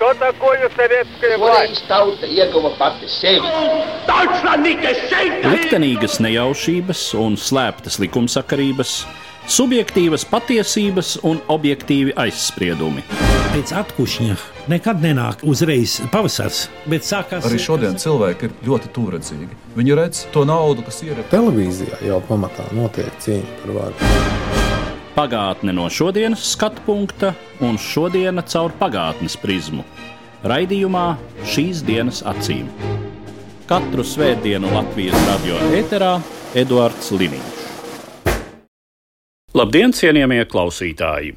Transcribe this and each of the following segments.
Что такое советская власть? Tauta ieguva pati sevi. Liktenīgas nejaušības un slēptas likumsakarības, subjektīvas patiesības un objektīvi aizspriedumi. Pēc atkušņa nekad nenāk uzreiz pavasars, bet sākās... Arī šodien cilvēki ir ļoti tuvredzīgi. Viņi redz to naudu, kas ir. Televīzijā jau pamatā notiek cīņa par varu. Pagātne no šodienas skatu punkta un šodiena caur pagātnes prizmu. Raidījumā Šīs dienas acīm. Katru svētdienu Latvijas radio ēterā Eduards Liniņš. Labdien, cienījamie klausītāji!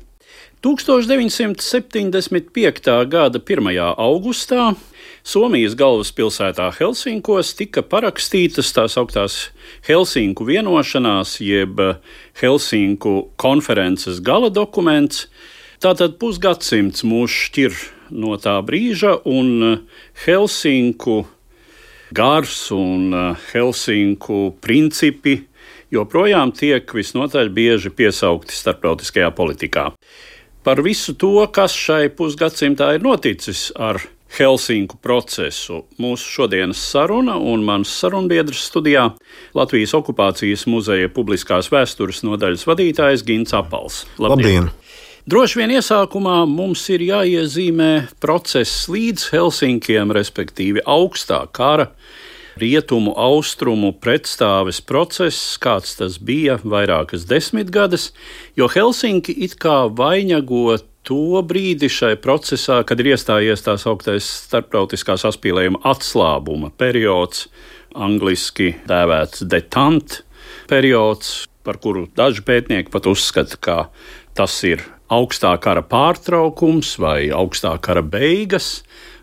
1975. gada 1. augustā Somijas galvaspilsētā Helsinkos tika parakstītas tās augtās Helsinku vienošanās, jeb Helsinku konferences gala dokuments. Tātad pusgadsimts mūs šķir no tā brīža, un Helsinku gars un Helsinku principi joprojām tiek visnotaļ bieži piesaukti starptautiskajā politikā. Par visu to, kas šai pusgadsimtā ir noticis ar Helsinku procesu, mūsu šodienas saruna un mans sarunbiedrs studijā Latvijas okupācijas muzeja publiskās vēstures nodaļas vadītājs Gints Apals. Labdien! Droši vien iesākumā mums ir jāiezīmē process līdz Helsinkiem, respektīvi augstā kara, rietumu, austrumu pretstāves process, kāds tas bija vairākas desmitgades, jo Helsinki it kā vainago to brīdi šai procesā, kad ir iestājies tās augtais starptautiskā saspīlējuma atslābuma periods, angliski dēvēts detente periods, par kuru daži pētnieki pat uzskata, ka tas ir augstā kara pārtraukums vai augstā kara beigas.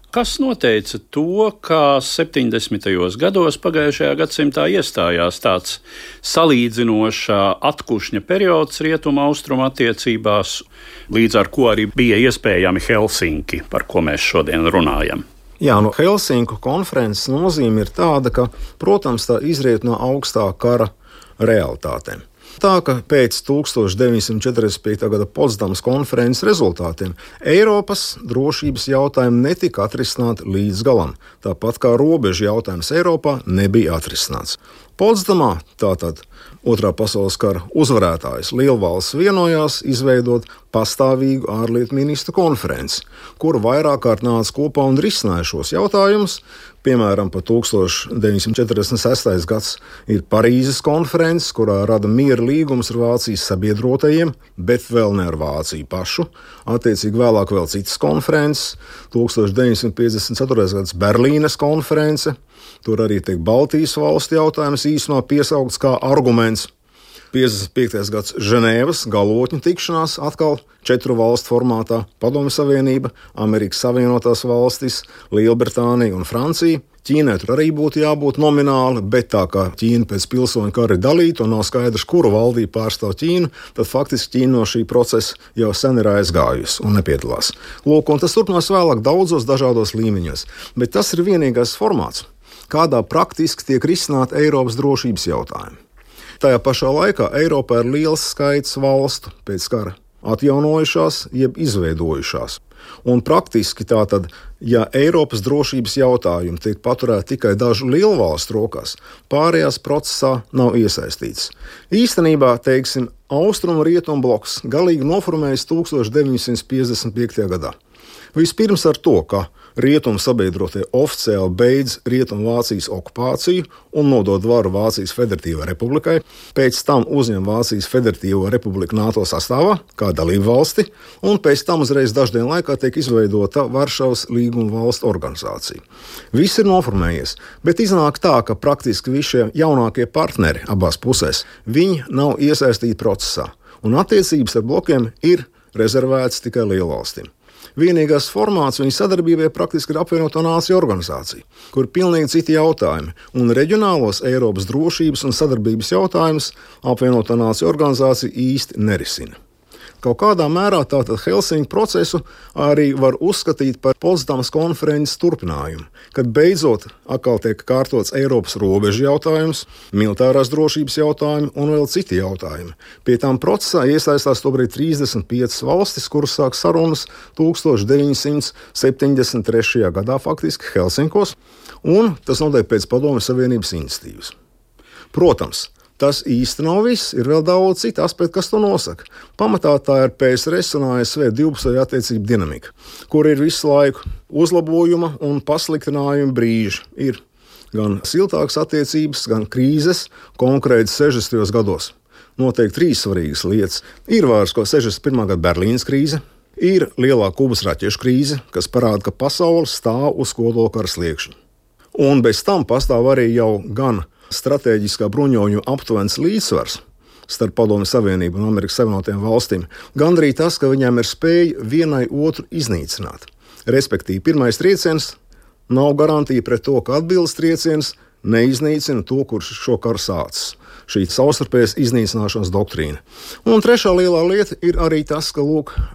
Kas noteica to, ka 70. gados pagājušajā gadsimtā iestājās tāds salīdzinošā atkušņa periods rietumu-austrumu attiecībās, līdz ar ko arī bija iespējami Helsinki, par ko mēs šodien runājam? Jā, Helsinku konferences nozīme ir tāda, ka, protams, tā izriet no augstā kara realitātēm. Tā ka pēc 1945. gada Potsdamas konferences rezultātiem Eiropas drošības jautājumi netika atrisināti līdz galam, tāpat kā robežu jautājums Eiropā nebija atrisināts. Potsdamā, tātad Otrā pasaules kara uzvarētājs lielvalsts vienojās izveidot pastāvīgu ārlietu ministru konferenci, kura vairāk kārt nāca kopā un risināja šos jautājumus. Piemēram, pa 1946. gads ir Parīzes konferences, kurā rada miera līgums ar Vācijas sabiedrotajiem, bet vēl ne ar Vāciju pašu. Attiecīgi vēlāk vēl citas konferences. 1954. gads Berlīnes konference. Tur arī tiek Baltijas valstu jautājums īsumā piesaukts kā arguments. 55. gads Ženēvas galotņu tikšanās, atkal 4 valstu formātā - Padomju Savienība, Amerikas Savienotās valstis, Lielbritānija un Francija. Ķīnai tur arī būtu jābūt nomināli, bet tā kā Ķīna pēc pilsoņu kara ir dalīta un nav skaidrs, kuru valdību pārstāv Ķīnu, tad faktiski Ķīna no šī procesa jau sen ir aizgājusi un nepiedalās. Lūk, un tas turpinās vēlāk daudzos dažādos līmeņos, bet tas ir vienīgais formāts, kādā praktiski tiek risināti Eiropas drošības jautājumi. Tajā pašā laikā Eiropā ir liels skaits valstu pēc kara atjaunojušās, jeb izveidojušās. Un praktiski tātad, ja Eiropas drošības jautājumi tiek paturēti tikai dažu lielvalstu rokās, pārējās procesā nav iesaistīts. Īstenībā, teiksim, austrumu rietumu bloks galīgi noformējas 1955. gadā. Vispirms ar to, ka rietumu sabiedrotie oficiāli beidz Rietumvācijas okupāciju un nodod varu Vācijas Federatīvai Republikai, pēc tam uzņem Vācijas Federatīvo Republiku NATO sastāvā kā dalību valsti, un pēc tam uzreiz daždienu laikā tiek izveidota Varšavas līguma valstu organizācija. Viss ir noformējies, bet iznāk tā, ka praktiski visi šie jaunākie partneri abās pusēs, viņi nav iesaistīti procesā, un attiecības ar blokiem ir rezervētas tikai lielvalstīm. Vienīgais formāts viņa sadarbībai praktiski ir apvienoto nāciju organizācija, kur ir pilnīgi citi jautājumi, un reģionālos Eiropas drošības un sadarbības jautājumus apvienoto nāciju organizācija īsti nerisina. Kaut kādā mērā tātad Helsinku procesu arī var uzskatīt par Potsdamas konferences turpinājumu, kad beidzot atkal tiek kārtots Eiropas robežu jautājums, militārās drošības jautājumi un vēl citi jautājumi. Pie tām procesā iesaistās tobrīd 35 valstis, kuras sāk sarunas 1973. gadā faktiski Helsinkos, un tas notiek pēc Padomju Savienības iniciatīvas. Protams, tas īsti nav viss, ir vēl daudz citu aspektu, kas to nosaka. Pamatā tā ir PSRS un ASV divpusēja attiecību dinamika, kur ir visu laiku uzlabojuma un pasliktinājuma brīži. Ir gan siltākas attiecības, gan krīzes, konkrēti 60. gados. Noteikti 3 svarīgas lietas. Ir vairs ko 61. gada Berlīnas krīze, ir lielā Kubas raķešu krīze, kas parāda, ka pasaule stāv uz kodolkara sliekšņa. Un bez tam pastāv arī jau gan stratēģiskā bruņojumu aptuvens līdzsvars starp Padomju Savienību un Amerikas Savienotajām valstīm, gan arī tas, ka viņām ir spēja vienai otru iznīcināt. Respektīvi, pirmais trieciens nav garantija pret to, ka atbildes trieciens neiznīcina to, kurš šo karu sācis. Šī savstarpējas iznīcināšanas doktrīna. Un trešā lielā lieta ir arī tas, ka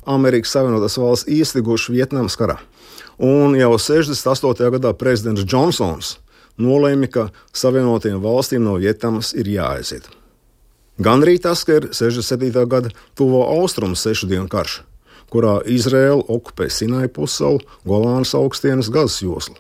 Amerikas Savienotās valsts iestiguši Vietnamas karā. Un jau 68. gadā prezidents Džonsons nolēma, ka Savienotajām valstīm no Vietnamas ir jāaiziet. Gan arī tas, ka ir 67. gada tuvo austrumu 6 dienu karš, kurā Izraēla okupē Sinai pussalu, Golānas augstienes, Gazas joslu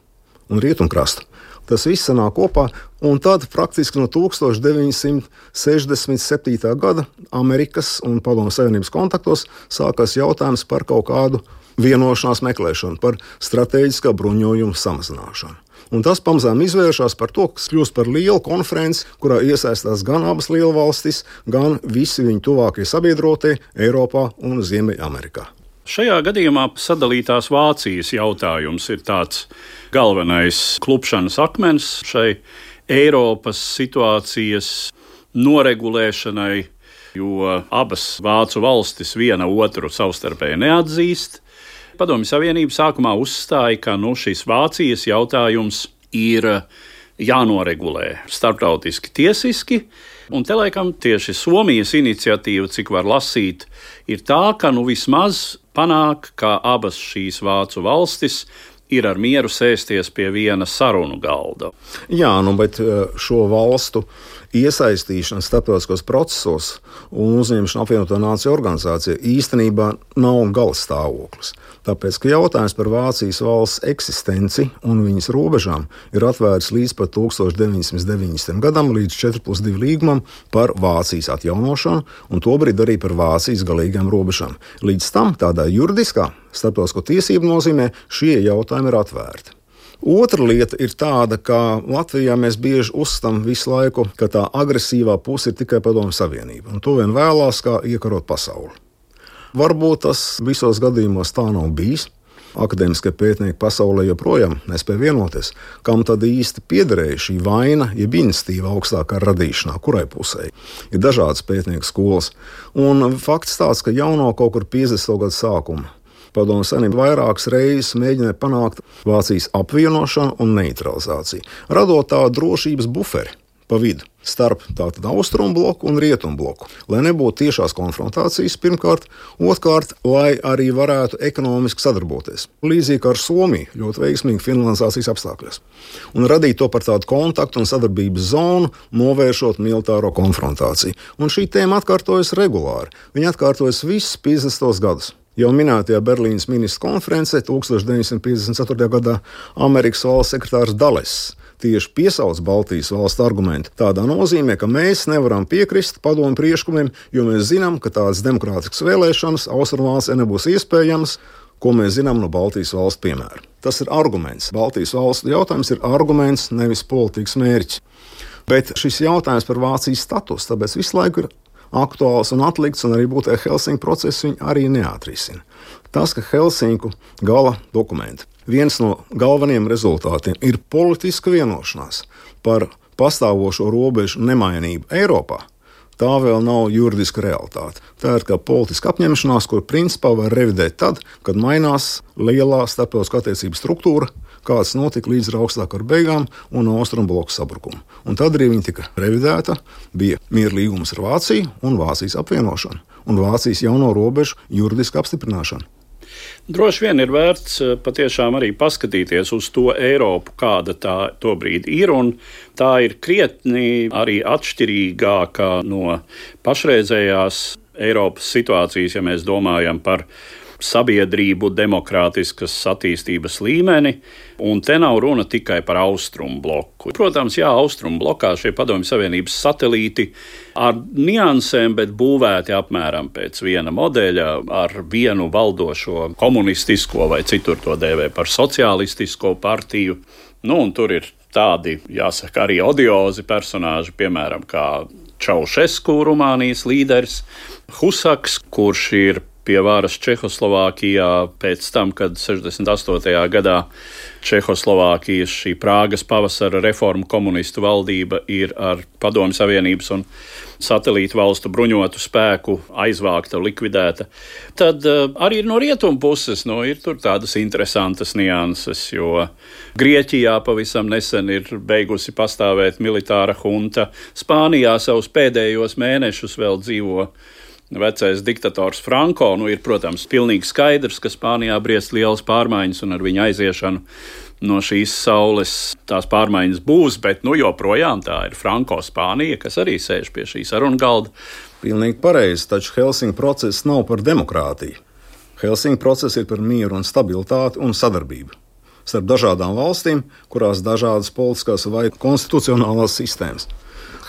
un rietumkrastu. Tas viss sanāk kopā, un tad praktiski no 1967. gada Amerikas un Padomju Savienības kontaktos sākās jautājums par kaut kādu vienošanās meklēšanu, par stratēģiskā bruņojuma samazināšanu. Un tas pamazām izvēršas par to, kas kļūst par lielu konferenci, kurā iesaistās gan abas lielvalstis, gan visi viņu tuvākie sabiedrotie Eiropā un Ziemeļamerikā. Šajā gadījumā sadalītās Vācijas jautājums ir tāds galvenais klupšanas akmens šai Eiropas situācijas noregulēšanai, jo abas vācu valstis viena otru savstarpēji neatzīst. Padomju Savienība sākumā uzstāja, ka šis Vācijas jautājums ir jānoregulē starptautiski tiesiski, un te laikam tieši Somijas iniciatīva, cik var lasīt, ir tā, ka vismaz panāk, ka abas šīs vācu valstis ir ar mieru sēsties pie viena sarunu galda. Jā, bet šo valstu iesaistīšana starptautiskos procesos un uzņemšana apvienoto nāciju organizācijā īstenībā nav gala stāvoklis. Tāpēc, ka jautājums par Vācijas valsts eksistenci un viņas robežām ir atvērts līdz pat 1990. gadam, līdz 4+2 līgumam par Vācijas atjaunošanu un tobrīd arī par Vācijas galīgām robežām. Līdz tam tādā juridiskā starptautisko tiesību nozīmē šie jautājumi ir atvērti. Otra lieta ir tāda, ka Latvijā mēs bieži uzstam visu laiku, ka tā agresīvā puse ir tikai Padomju Savienība, un to vien vēlās, kā iekarot pasauli. Varbūt tas visos gadījumos tā nav bijis. Akadēmiskie pētnieki pasaulē joprojām nespēja vienoties, kam tad īsti piederēja šī vaina, jeb iniciatīva augstākā radīšanā, kurai pusē. Ir dažādas pētnieku skolas, un fakts tāds, ka jau no kaut kur 50. gadu sākuma Padomju Savienība vairākas reizes mēģināja panākt Vācijas apvienošanu un neutralizāciju, radot tādu drošības buferi pa vidu starp tātad austrumu bloku un rietumu bloku, lai nebūtu tiešās konfrontācijas pirmkārt, otrkārt, lai arī varētu ekonomiski sadarboties. Līdzīgi ar Somiju, ļoti veiksmīgi finlandizācijas apstākļos. Un radīt to par tādu kontaktu un sadarbības zonu, novēršot militāro konfrontāciju. Un šī tēma atkārtojas regulāri. Viņa atkārtojas visus 50. gadus. Jau minētajā Berlīnas ministru konferencē 1954. gadā Amerikas valsts sekretārs Dales tieši piesauc Baltijas valstu argumentu tādā nozīmē, ka mēs nevaram piekrist padomu priekšlikumiem, jo mēs zinām, ka tādas demokrātiskas vēlēšanas Austrumvācijā nebūs iespējamas, ko mēs zinām no Baltijas valstu piemēra. Tas ir arguments. Baltijas valstu jautājums ir arguments, nevis politikas mērķis. Bet šis jautājums par Vācijas statusu, tāpēc visu laiku ir aktuāls un atlikts, un arī būtībā Helsinku procesu viņi arī neatrisina. Tas, ka Helsinku gala dokumenti, viens no galvenajiem rezultātiem ir politiska vienošanās par pastāvošo robežu nemainību Eiropā, tā vēl nav juridiska realitāte. Tā ir kā politiska apņemšanās, kur principā var revidēt tad, kad mainās lielā starptautiskā attiecību struktūra, kāds notika līdz augstākā kara beigām un austrumu bloku sabrukumu. Un tad arī viņa tika revidēta, bija miera līgums ar Vāciju un Vācijas apvienošana. un Vācijas jauno robežu juridisku apstiprināšanu. Droši vien ir vērts patiešām arī paskatīties uz to Eiropu, kāda tā tobrīd ir, un tā ir krietni arī atšķirīgāka no pašreizējās Eiropas situācijas, ja mēs domājam par sabiedrību demokrātiskas attīstības līmeni, un te nav runa tikai par austrumu bloku. Protams, austrumu blokā šie Padomju Savienības satelīti ar niansēm, bet būvēti apmēram pēc viena modeļa ar vienu valdošo komunistisko vai citur to dēvē par sociālistisko partiju. Un tur ir tādi, jāsaka, arī odiozi personāži, piemēram, kā Čaušesku, Rumānijas līderis, Husaks, kurš ir pie varas Čehoslovākijā pēc tam, kad 68. gadā Čehoslovākijas šī Prāgas pavasara reformu komunistu valdība ir ar Padomju Savienības un satelītu valstu bruņotu spēku aizvākta, likvidēta. Tad arī no rietumu puses ir tur tādas interesantas nianses, jo Grieķijā pavisam nesen ir beigusi pastāvēt militāra hunta. Spānijā savus pēdējos mēnešus vēl dzīvo vecais diktators Franko. Ir, protams, pilnīgi skaidrs, ka Spānijā briest lielas pārmaiņas, un ar viņa aiziešanu no šīs saules tās pārmaiņas būs, bet joprojām tā ir Franko Spānija, kas arī sēž pie šī sarunu galda. Pilnīgi pareizi, taču Helsinku process nav par demokrātiju. Helsinku process ir par mieru un stabilitāti un sadarbību starp dažādām valstīm, kurās dažādas politiskās vai konstitucionālās sistēmas.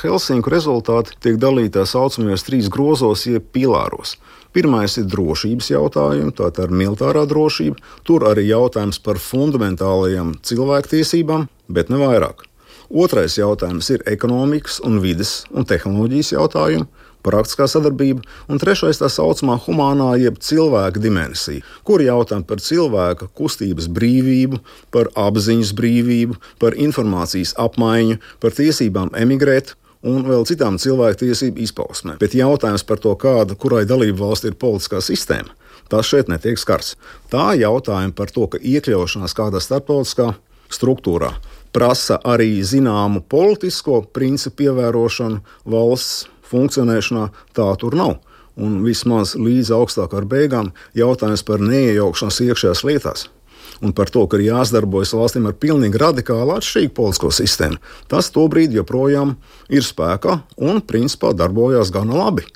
Helsinku rezultāti tiek dalīti tā saucamajos 3 grozos, jeb pilāros. Pirmais ir drošības jautājumi, tātad ir militārā drošība. Tur arī jautājums par fundamentālajām cilvēktiesībām, bet ne vairāk. Otrais jautājums ir ekonomikas un vides un tehnoloģijas jautājumi, praktiskā sadarbība. Un trešais tā saucamā humānā jeb cilvēka dimensija, kur jautājumi par cilvēka kustības brīvību, par apziņas brīvību, par informācijas apmaiņu, par tiesībām emigrēt un vēl citām cilvēktiesību izpausmēm. Bet jautājums par to, kurai dalību valsti ir politiskā sistēma, tas šeit netiek skarts. Tā jautājumi par to, ka iekļaušanās kādā starptautiskā struktūrā prasa arī zināmu politisko principu ievērošanu valsts funkcionēšanā, tā tur nav. Un vismaz līdz augstākā beigām jautājums par neiejaukšanos iekšējās lietās un par to, ka ir jāsadarbojas valstīm ar pilnīgi radikāli atšķirīgu politisko sistēmu, tas tobrīd joprojām ir spēkā un principā darbojās gana labi,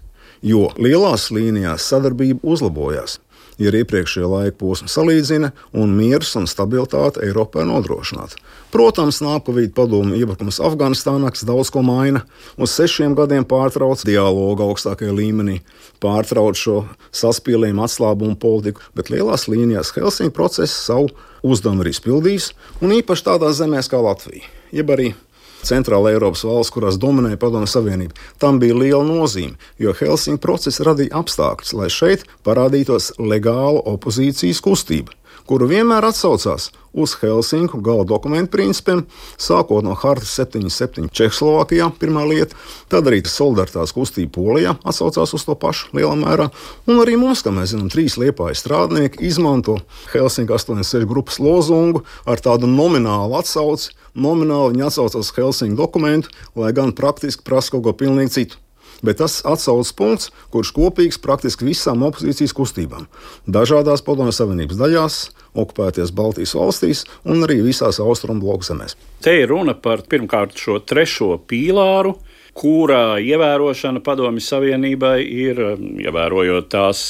jo lielās līnijās sadarbība uzlabojās. Ja iepriekšējā laika posma salīdzina un miers un stabilitāte Eiropā nodrošināta. Protams, nākamajā padomju iebrukums Afganistānā, kas daudz ko maina, uz 6 gadiem pārtrauc dialogu augstākajā līmenī, pārtrauc šo saspīlējumu atslābumu politiku, bet lielās līnijās Helsinku process savu uzdevumu ir izpildījis, un īpaši tādās zemēs kā Latvija, jeb arī Centrāla Eiropas valsts, kurās dominēja Padomju Savienība. Tam bija liela nozīme, jo Helsinku process radīja apstākļus, lai šeit parādītos legāla opozīcijas kustība, kuru vienmēr atsaucās uz Helsinku gala dokumentu principiem, sākot no Hartas 77 Čehoslovākijā, pirmā lieta, tad arī solidaritātes kustība Polijā atsaucās uz to pašu lielā mērā, un arī mums, kā mēs zinām, 3 Liepājas strādnieki izmanto Helsinku 86 grupas lozungu ar tādu nominālu atsauci. Nomināli viņi atsaucās uz Helsinku dokumentu, lai gan praktiski prasa kaut ko pilnīgi citu. Bet tas atsaucas punkts, kurš kopīgs praktiski visām opozīcijas kustībām. Dažādās Padomju Savienības daļās, okupēties Baltijas valstīs un arī visās austrumu bloku zemēs. Te ir runa par pirmkārt šo 3. pīlāru, kura ievērošana Padomju Savienībai ir, ievērojot tās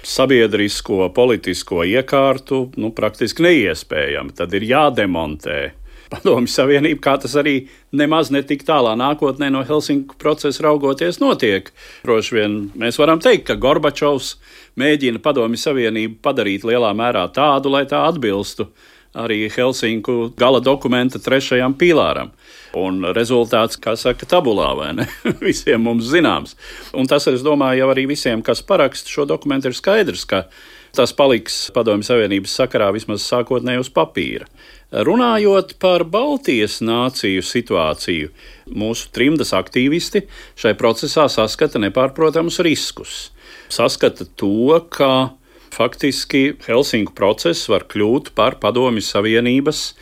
sabiedrisko, politisko iekārtu, praktiski neiespējami. Tad ir jādemontē Padomju Savienība, kā tas arī nemaz ne tik tālā nākotnē no Helsinku procesa raugoties notiek. Droši vien mēs varam teikt, ka Gorbačovs mēģina Padomju Savienību padarīt lielā mērā tādu, lai tā atbilstu arī Helsinku gala dokumenta 3. pīlāram. Un rezultāts, kā saka, tabulā, vai ne? Visiem mums zināms. Un tas, es domāju, jau arī visiem, kas paraksta šo dokumentu, ir skaidrs, ka tas paliks Padomju Savienības sakarā vismaz sākotnēji uz papīra. Runājot par Baltijas nāciju situāciju, mūsu trimdas aktīvisti šai procesā saskata nepārprotamus riskus. Saskata to, ka faktiski Helsinku process var kļūt par Padomju Savienības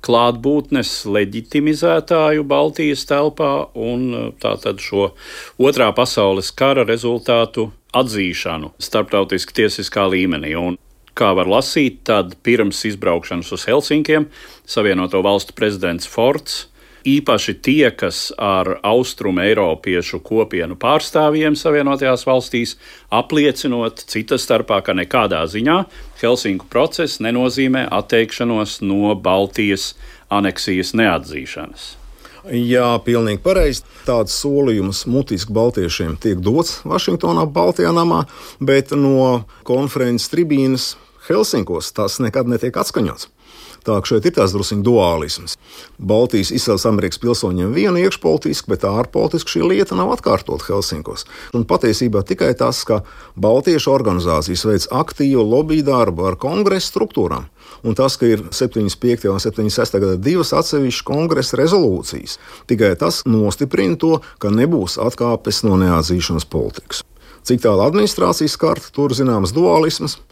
klātbūtnes leģitimizētāju Baltijas telpā un tātad šo 2. pasaules kara rezultātu atzīšanu starptautiski tiesiskā līmenī. Un, kā var lasīt, tad pirms izbraukšanas uz Helsinkiem Savienoto Valstu prezidents Fords īpaši tiekas ar austrumu eiropiešu kopienu pārstāvjiem Savienotajās valstīs, apliecinot cita starpā, ka nekādā ziņā Helsinku process nenozīmē atteikšanos no Baltijas aneksijas neatzīšanas. Jā, pilnīgi pareizi. Tāds solījums mutiski baltiešiem tiek dots Vašingtonā, Baltijā namā, bet no konferences tribīnes Helsinkos tas nekad netiek atskaņots. Tā ka šeit ir tās drusciņ duālisms. Baltijas izcelsmes Amerikas pilsoņiem viena iekšpolitiski, bet ārpolitiski šī lieta nav atkārtot Helsinkos. Un patiesībā tikai tas, ka baltiešu organizācijas veic aktīvu lobby darbu ar kongresa struktūrām, un tas, ka ir 75. un 76. gada divas atsevišķas kongresa rezolūcijas, tikai tas nostiprina to, ka nebūs atkāpes no neatzīšanas politikas. Cik tālu administrācijas karta, tur zināms duālisms.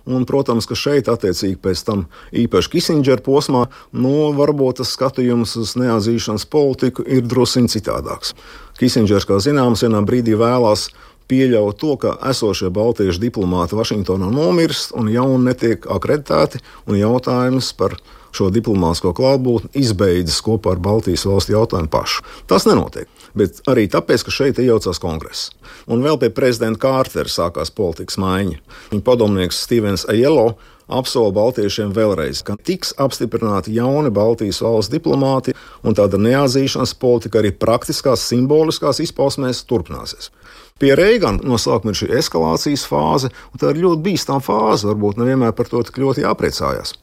Un, protams, ka šeit, attiecīgi pēc tam īpaši Kisindžera posmā, varbūt tas skatījums uz neatzīšanas politiku ir drusciņ citādāks. Kisindžers, kā zināms, vienā brīdī vēlās pieļaut to, ka esošie baltiešu diplomāti Vašingtonā nomirst un jauni netiek akreditēti, un jautājums par šo diplomātsko klātbūtni izbeidzas kopā ar Baltijas valstu jautājumu pašu. Tas nenotiek, bet arī tāpēc, ka šeit iejaucās kongress. Un vēl pie prezidenta Kārtera sākās politikas maiņa. Viņa padomnieks Stevens Aiello apsola baltiešiem vēlreiz, ka tiks apstiprināti jauni Baltijas valsts diplomāti, un tāda neatzīšanas politika arī praktiskās, simboliskās izpausmēs turpināsies. Pie Reigana no sākuma ir šī eskalācijas fāze, un tā ir ļoti bīstama fāze, varbūt nevienmēr par to tik ļoti jāpriecājās.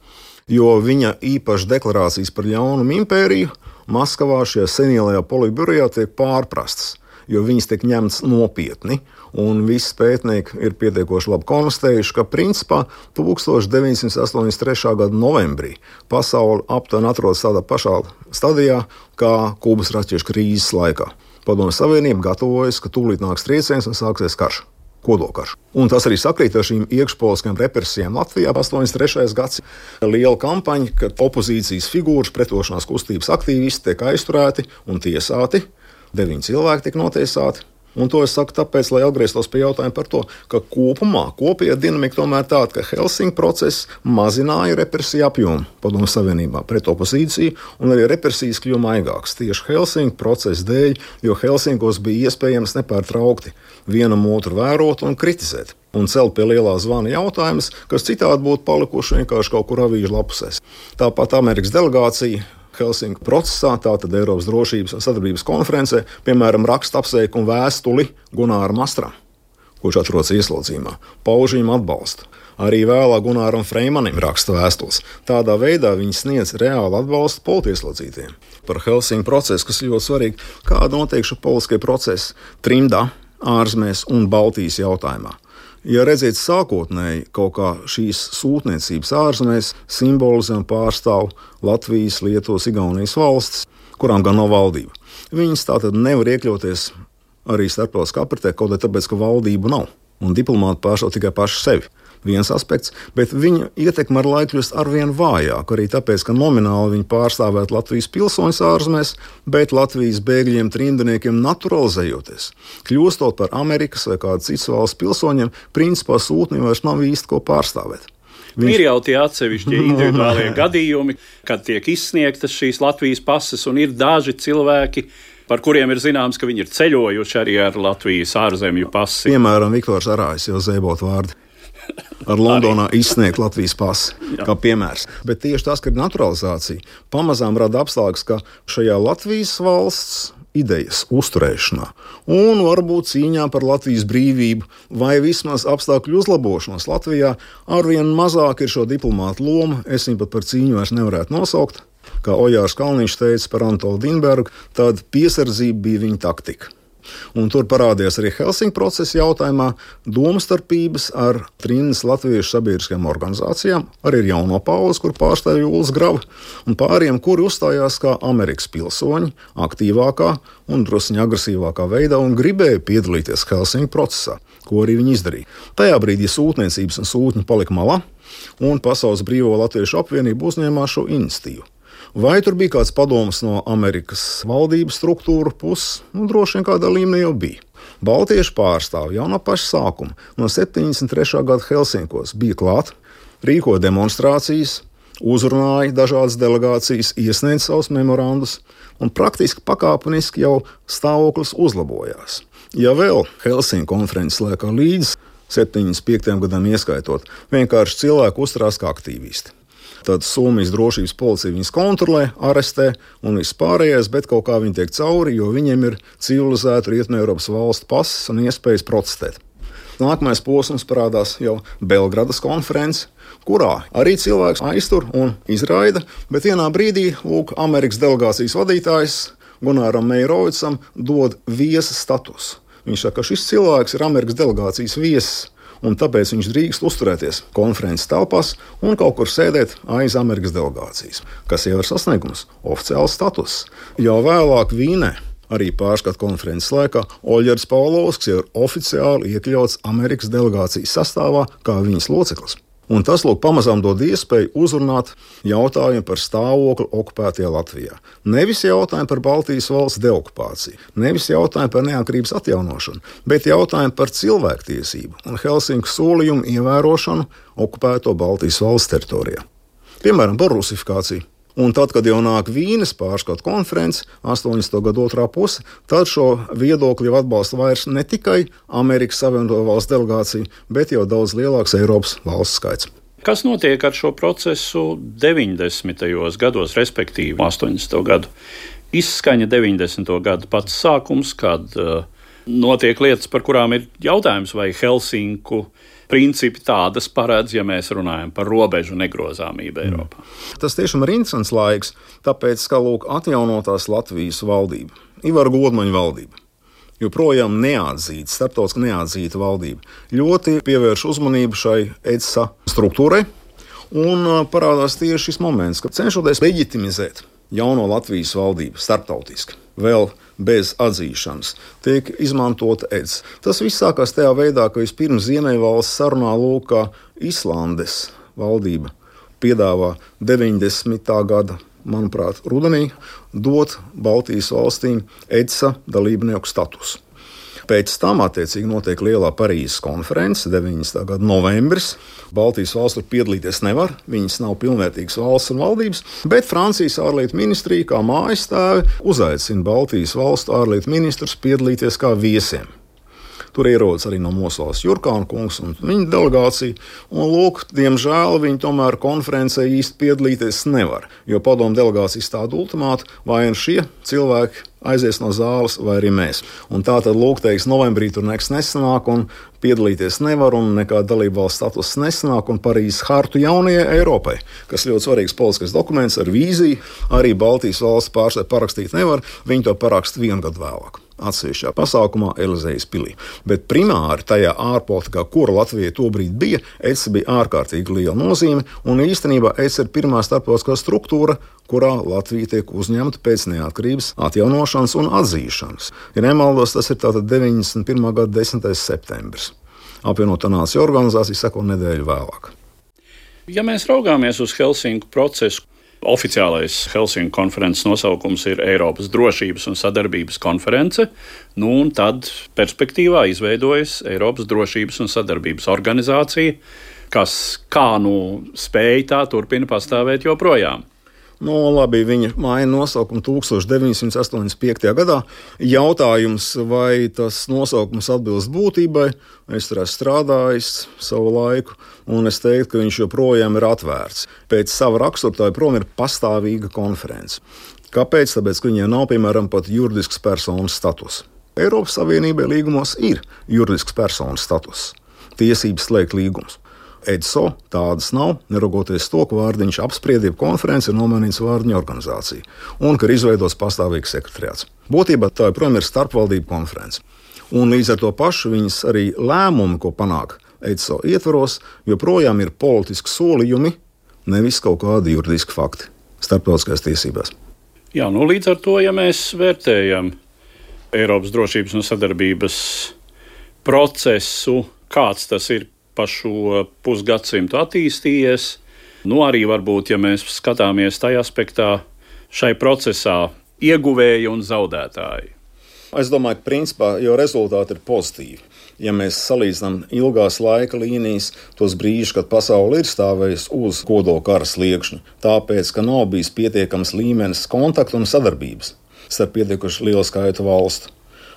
Jo viņa īpaši deklarācijas par ļaunumu impēriju Maskavā šajā senielajā politbirojā tiek pārprastas, jo viņas tiek ņemtas nopietni, un visi pētnieki ir pietiekoši labi konstatējuši, ka principā 1983. gada novembrī pasaule aptuveni atrodas tādā pašā stadijā kā Kubas raķešu krīzes laikā. Padomju Savienība gatavojas, ka tūlīt nāks trieciens un sāksies karš. Kodolkarš. Un tas arī sakrīt ar šīm iekšpolitiskajām represijām Latvijā 83. gads. Liela kampaņa, kad opozīcijas figūras, pretošanās kustības aktīvisti tiek aizturēti un tiesāti. 9 cilvēki tiek notiesāti. Un to es saku tāpēc, lai atgrieztos pie jautājuma par to, ka kopējā dinamika tomēr tāda, ka Helsinku process mazināja represiju apjomu Padomju Savienībā pret opozīciju, un arī represijas kļuva maigākas tieši Helsinku procesa dēļ, jo Helsinkos bija iespējams nepārtraukti vienam otru vērot un kritizēt. Un celt pie lielā zvana jautājumus, kas citādi būtu palikuši vienkārši kaut kur avīžu lapusēs. Tāpat Amerikas delegācija Helsinku procesā, tātad Eiropas drošības un sadarbības konferencē, piemēram, raksta apsveikumu vēstuli Gunāram Mastram, kurš atrodas ieslodzījumā, pauž viņam atbalstu. Arī vēlāk Gunāram Freimanim raksta vēstules. Tādā veidā viņi sniedz reālu atbalstu politieslodzītiem. Par Helsinku procesu, kas ir ļoti svarīgi, kāda notiek šo politiskie procesi trimdā, ārzemēs un Baltijas jautājumā. Ja redzēt sākotnēji kaut kā šīs sūtniecības ārzemēs simbolizē un pārstāv Latvijas, Lietuvas, Igaunijas valstis, kurām gan nav valdība. Viņas tātad nevar iekļauties arī starptautiskā apritē, kaut arī tāpēc, ka valdību nav. Un diplomāti pārstāv tikai paši sevi. Viens aspekts, bet viņa ietekme ar laiku kļūst arvien vājāk, arī tāpēc, ka nomināli viņi pārstāvēt Latvijas pilsoņus ārzemēs, bet Latvijas bēgļiem, trimdniekiem naturalizējoties, kļūstot par Amerikas vai kādas citas valsts pilsoņiem, principā sūtnim vairs nav īsti ko pārstāvēt. Ir jau tie atsevišķi individuālie gadījumi, kad tiek izsniegtas šīs Latvijas pases, un ir daži cilvēki, par kuriem ir zināms, ka viņi ir ceļojuši arī ar Latvijas ārzemju pasi. Piemēram, Viktors Arājs, jau zēbot vārdu. Ar Londonā izsniegt Latvijas pasi, kā piemērs. Bet tieši tas, ka ir naturalizācija, pamazām rada apstākļus, ka šajā Latvijas valsts idejas uzturēšanā un varbūt cīņā par Latvijas brīvību vai vismaz apstākļu uzlabošanos Latvijā arvien mazāk ir šo diplomātu loma. Es viņu pat par cīņu vairs nevarētu nosaukt. Kā Ojārs Kalniņš teica par Antolu Dinbergu, tad piesardzība bija viņa taktika. Un tur parādījās arī Helsinku procesa jautājumā domstarpības ar trimdas latviešu sabiedriskajām organizācijām, arī ar jauno paudzi, kur pārstāv Julis Grava, un pāriem, kuri uzstājās kā Amerikas pilsoņi aktīvākā un drusciņ agresīvākā veidā un gribēja piedalīties Helsinku procesā, ko arī viņi izdarīja. Tajā brīdī sūtniecības un sūtņi palika malā, un Pasaules Brīvo Latviešu apvienība uzņēmās šo iniciatīvu. Vai tur bija kāds padoms no Amerikas valdības struktūra puses? Droši vien kādā līmenī jau bija. Baltiešu pārstāvji jau no paša sākuma, no 73. gada Helsinkos bija klāt, rīkoja demonstrācijas, uzrunāja dažādas delegācijas, iesniedza savus memorandus, un praktiski pakāpeniski jau stāvoklis uzlabojās. Ja vēl Helsinku konferences laikā līdz 75. gadam ieskaitot, vienkārši cilvēki uzturās kā aktīvisti. Tad Somijas drošības policija viņus kontrolē, arestē un viss pārējais, bet kaut kā viņi tiek cauri, jo viņiem ir civilizētu Rietumeiropas valstu pases un iespējas protestēt. Nākamais posms parādās jau Belgradas konferences, kurā arī cilvēks aiztur un izraida, bet vienā brīdī Amerikas delegācijas vadītājs Gunaram Meirovicam dod viesa statusu. Viņš saka, ka šis cilvēks ir Amerikas delegācijas viesis, un tāpēc viņš drīkst uzturēties konferences telpās un kaut kur sēdēt aiz Amerikas delegācijas, kas jau ir sasniegums, oficiāls status. Jau vēlāk Vīnē, arī pārskatu konferences laikā, Oļģers Pavlovskis jau ir oficiāli iekļauts Amerikas delegācijas sastāvā kā viņas loceklis. Un tas, pamazām dod iespēju uzrunāt jautājumu par stāvokli okupētajā Latvijā. Nevis jautājumu par Baltijas valsts deokupāciju, nevis jautājumu par neatkarības atjaunošanu, bet jautājumu par cilvēktiesību un Helsinku solījumu ievērošanu okupēto Baltijas valsts teritorijā. Piemēram, par rusifikāciju. Un tad, kad jau nāk Vīnes pārskatu konferences, 80. gadu otrā puse, tad šo viedokli jau atbalsta vairs ne tikai Amerikas Savienoto valstu delegācija, bet jau daudz lielāks Eiropas valsts skaits. Kas notiek ar šo procesu 90. gados, respektīvi 80. gadu? Izskaņa 90. gadu pats sākums, kad notiek lietas, par kurām ir jautājums, vai Helsinku principi tādas paredz, ja mēs runājam par robežu negrozāmību Eiropā. Tas tiešām ir interesants laiks, tāpēc, ka atjaunotās Latvijas valdība, Ivara Godmaņa valdība, joprojām neatzīta, starptautiski neatzīta valdība, ļoti pievērš uzmanību šai EDSA struktūrai, un parādās tieši šis moments, kad cenšoties leģitimizēt jauno Latvijas valdību starptautiski, vēl bez atzīšanas, tiek izmantota EDS. Tas viss sākās tajā veidā, ka vispirms Ziemeļvalsts sarunā kā Islandes valdība piedāvā 90. gada, manuprāt, rudenī dot Baltijas valstīm EDSA dalībnieku statusu. Pēc tam, attiecīgi, notiek lielā Parīzes konference, 90. gada novembris. Baltijas valsts tur piedalīties nevar, viņas nav pilnvērtīgas valsts un valdības, bet Francijas ārlietu ministrija, kā mājastāve, uzaicina Baltijas valstu ārlietu ministrus piedalīties kā viesiem. Tur ierodas arī no mūsu valsts Jurkāna kungs un viņa delegācija, un, diemžēl, viņi tomēr konferencē īsti piedalīties nevar, jo padomu delegācija izstāda ultimātu, vai šie cilvēki aizies no zāles, vai arī mēs. Un tā tad, novembrī tur nekas nesanāk, un piedalīties nevar, un nekāda dalība valsts status nesanāk, un Parīzes hartu jaunajai Eiropai, kas ļoti svarīgs politiskais dokuments ar vīziju, arī Baltijas valsts pārstāvji parakstīt nevar, viņi to paraksta 1 gadu vēlāk. Atsevišķā pasākumā Elizejas pilī. Bet primāri tajā ārpolitikā, kura Latvijai tobrīd bija, EDS bija ārkārtīgi liela nozīme, un īstenībā EDS ir pirmā starptautiskā struktūra, kurā Latvija tiek uzņemta pēc neatkarības atjaunošanas un atzīšanas. Ja nemaldos, tas ir tātad 91. gada 10. septembris. Apvienotā nāciju organizācija seko nedēļu vēlāk. Ja mēs raugāmies uz Helsinku procesu, oficiālais Helsinku konferences nosaukums ir Eiropas drošības un sadarbības konference, un tad perspektīvā izveidojas Eiropas drošības un sadarbības organizācija, kas spēj tā turpina pastāvēt joprojām. Labi, viņa maina nosaukumu 1985. gadā. Jautājums, vai tas nosaukums atbilst būtībai, es tur esmu strādājis savu laiku, un es teiktu, ka viņš joprojām ir atvērts. Pēc sava rakstura tā joprojām ir pastāvīga konference. Kāpēc? Tāpēc, ka viņai nav, piemēram, pat juridisks personas status. Eiropas Savienībai līgumos ir juridisks personas status, tiesības slēgt līgumus. EDSO tādas nav, neraugoties to, ka vārdiņš apspriedību konferenci ir nomainīts vārdiņa organizācija un ka ir izveidots pastāvīgs sekretariāts. Būtībā tā joprojām ir starpvaldību konference. Un līdz ar to pašu viņas arī lēmumi, ko panāk EDSO ietvaros, joprojām ir politiski solījumi, nevis kaut kādi juridiski fakti starptautiskās tiesībās. Jā, līdz ar to, ja mēs vērtējam Eiropas drošības un sadarbības procesu, kāds tas ir pa šo pusgadsimtu attīstījies, arī varbūt, ja mēs skatāmies tajā aspektā, šai procesā ieguvēji un zaudētāji. Es domāju, ka principā jau rezultāti ir pozitīvi. Ja mēs salīdzinām ilgās laika līnijas, tos brīžus, kad pasaule ir stāvējusi uz kodolkara sliekšņa, tāpēc, ka nav bijis pietiekams līmenis kontaktu un sadarbības starp pietiekuši lielu skaitu valstu.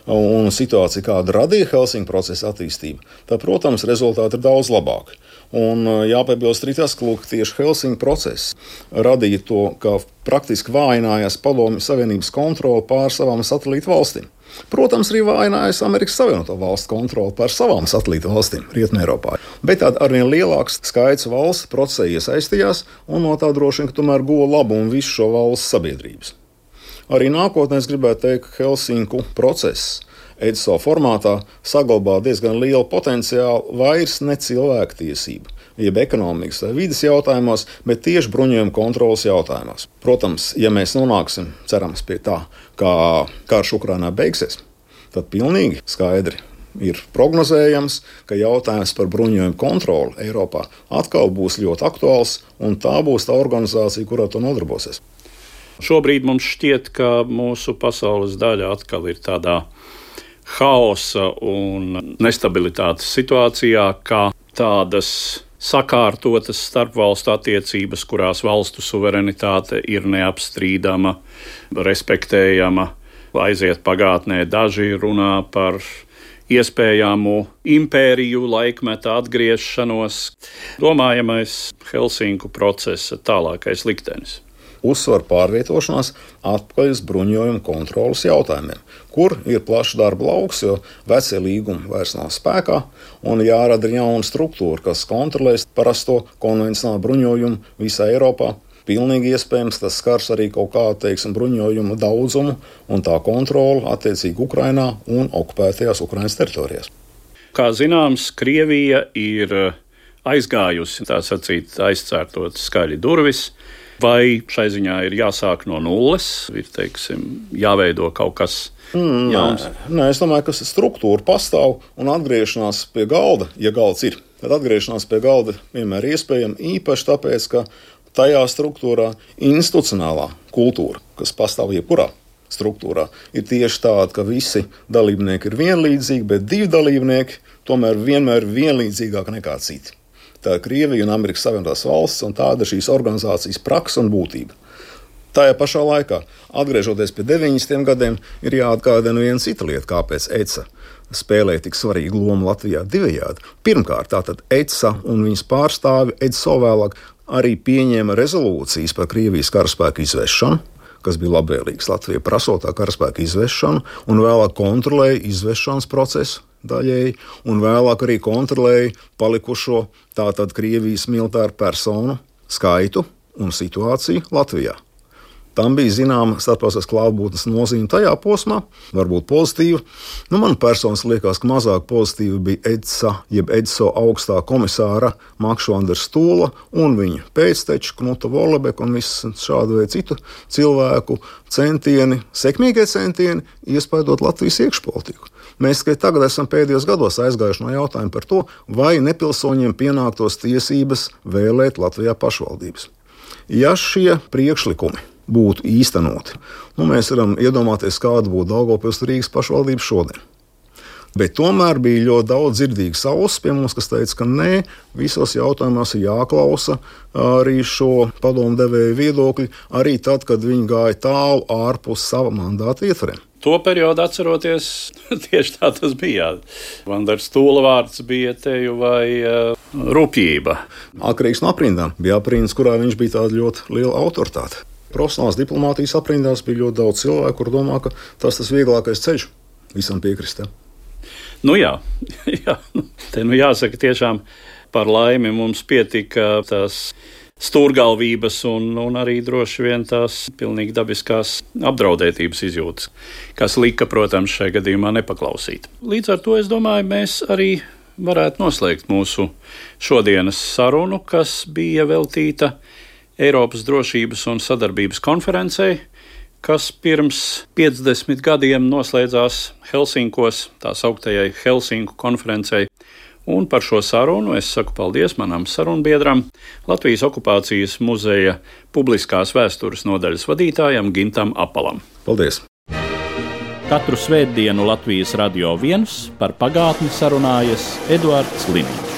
Un situācija, kāda radīja Helsinku procesa attīstību, tad, protams, rezultāti ir daudz labāki. Un jāpiebilst arī tas, ka tieši Helsinku process radīja to, ka praktiski vājinājās Padomju Savienības kontrole pār savām satelītu valstīm. Protams, arī vājinājās Amerikas Savienoto Valstu kontrole pār savām satelītu valstīm Rietumeiropā. Bet arvien lielāks skaits valsts procesā iesaistījās un no tā droši vien, ka tomēr guva labumu visu šo valstu sabiedrības. Arī nākotnē es gribētu teikt, ka Helsinku process EDSO formātā saglabā diezgan lielu potenciālu vairs ne cilvēktiesību, jeb ekonomikas vai vides jautājumos, bet tieši bruņojuma kontrolas jautājumos. Protams, ja mēs nonāksim, cerams, pie tā, kā karš Ukrainā beigsies, tad pilnīgi skaidri ir prognozējams, ka jautājums par bruņojumu kontroli Eiropā atkal būs ļoti aktuāls, un tā būs tā organizācija, kurā to nodarbosies. Šobrīd mums šķiet, ka mūsu pasaules daļa atkal ir tādā haosa un nestabilitātes situācijā, kā tādas sakārtotas starpvalstu attiecības, kurās valstu suverenitāte ir neapstrīdama, respektējama, aiziet pagātnē. Daži runā par iespējamu impēriju laikmeta atgriešanos. Domājamais Helsinku procesa tālākais liktenis. Uzsver pārvietošanās atpakaļ uz bruņojuma kontrolas jautājumiem, kur ir plašs darba lauks, jo vecie līgumi vairs nav spēkā un jārada jauna struktūra, kas kontrolēs parasto konvencionālu bruņojumu visā Eiropā. Pilnīgi iespējams, tas skars arī kaut kādu, bruņojumu daudzumu un tā kontroli attiecīgi Ukrainā un okupētajās Ukrainas teritorijās. Kā zināms, Krievija ir aizgājusi, tā sacīt, aizcērtot skaļi durvis. Vai šai ziņā ir jāsāk no nulles, ir jāveido kaut kas jauns? Nē, es domāju, ka struktūra pastāv un atgriešanās pie galda, ja galds ir, tad atgriešanās pie galda vienmēr iespējama, īpaši tāpēc, ka tajā struktūrā institucionālā kultūra, kas pastāv jebkurā struktūrā, ir tieši tāda, ka visi dalībnieki ir vienlīdzīgi, bet divi dalībnieki tomēr vienmēr ir vienlīdzīgāki nekā citi. Tā ir Krievija un Amerikas Savienotās valstis, un tāda ir šīs organizācijas praksa un būtība. Tajā pašā laikā, atgriežoties pie 90. gadiem, ir jāatgādina viena cita lieta, kāpēc EDSA spēlē tik svarīgu lomu Latvijā divējādi. Pirmkārt, tātad EDSA un viņas pārstāvi EDSO vēlāk arī pieņēma rezolūcijas par Krievijas karaspēku izvešanu, kas bija labvēlīgs Latvijai prasotā karaspēka izvešanu, un vēlāk kontrolēja izvešanas procesu daļēji, un vēlāk arī kontrolēja palikušo tātad Krievijas militāru personu skaitu un situāciju Latvijā. Tam bija zināma starptautiskās klātbūtnes nozīme tajā posmā, varbūt pozitīva. Man personiski liekas, ka mazāk pozitīva bija EDSA, jeb EDSO augstā komisāra Makšvandera Stūla un viņa pēcteči Knuta Volebeka un visu šādu veidu citu cilvēku centieni, sekmīgie centieni iespaidot Latvijas iekšpolitiku. Mēs tikai tagad esam pēdējos gados aizgājuši no jautājuma par to, vai nepilsoņiem pienāktos tiesības vēlēt Latvijā pašvaldības. Ja šie priekšlikumi būtu īstenoti, mēs varam iedomāties, kāda būtu Daugavpils Rīgas pašvaldība šodien. Bet tomēr bija ļoti daudz dzirdīgas ausis pie mums, kas teica, ka nē, visos jautājumos ir jāklausa arī šo padomdevēju viedokļi, arī tad, kad viņi gāja tālu ārpus sava mandāta ietvariem. To periodu atceroties, tieši tā tas bija. Vandera Stūla vārds bija teju vai rupjība. Atkarīgs no aprindām. Bija aprindas, kurā viņš bija tāda ļoti liela autoritāte. Profesionālās diplomātijas aprindās bija ļoti daudz cilvēku, kur domā, ka tas vieglākais ceļš visam piekrist. Jā. Te jāsaka tiešām par laimi mums pietika tās stūrgalvības un arī droši vien tās pilnīgi dabiskās apdraudētības izjūtas, kas lika, protams, šajā gadījumā nepaklausīt. Līdz ar to, es domāju, mēs arī varētu noslēgt mūsu šodienas sarunu, kas bija veltīta Eiropas drošības un sadarbības konferencei, kas pirms 50 gadiem noslēdzās Helsinkos, tā sauktajai Helsinku konferencei. Un par šo sarunu es saku paldies manam sarunbiedram, Latvijas okupācijas muzeja publiskās vēstures nodaļas vadītājam Gintam Apalam. Paldies! Katru svētdienu Latvijas Radio 1 par pagātni sarunājas Eduards Liniņš.